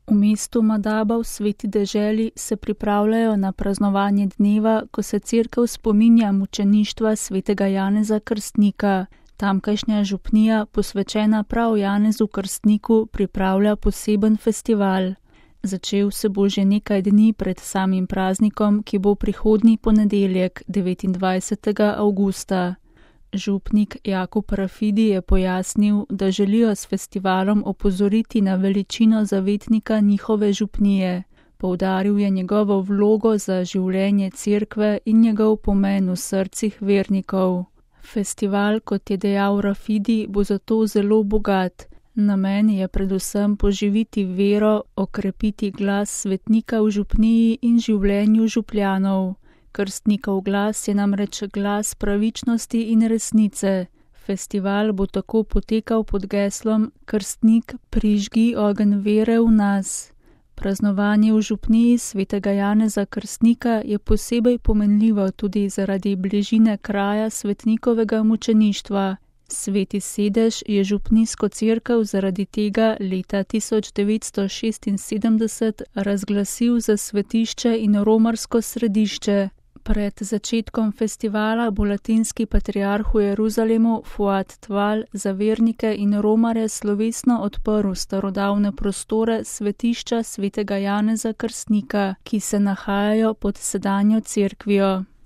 V mestu Madaba v Sveti deželi se pripravljajo na praznovanje dneva, ko se cerkev spominja mučeništva svetega Janeza Krstnika. Tamkajšnja župnija, posvečena prav Janezu Krstniku, pripravlja poseben festival. Začel se bo že nekaj dni pred samim praznikom, ki bo prihodnji ponedeljek, 29. avgusta. Župnik Jakub Rafidi je pojasnil, da želijo s festivalom opozoriti na veličino zavetnika njihove župnije. Poudaril je njegovo vlogo za življenje cerkve in njegov pomen v srcih vernikov. Festival, kot je dejal Rafidi, bo zato zelo bogat. Namen je predvsem poživiti vero, okrepiti glas svetnika v župniji in življenju župljanov. Krstnikov glas je namreč glas pravičnosti in resnice. Festival bo tako potekal pod geslom Krstnik, prižgi ogenj vere v nas. Praznovanje v župniji svetega Janeza Krstnika je posebej pomenljivo tudi zaradi bližine kraja svetnikovega mučeništva. Sveti sedež je župnijsko cerkev zaradi tega leta 1976 razglasil za svetišče in romarsko središče. Pred začetkom festivala bo latinski patriarh v Jeruzalemu Fuad Tval za vernike in romarje slovesno odprl starodavne prostore svetišča svetega Janeza Krstnika, ki se nahajajo pod sedanjo cerkvijo.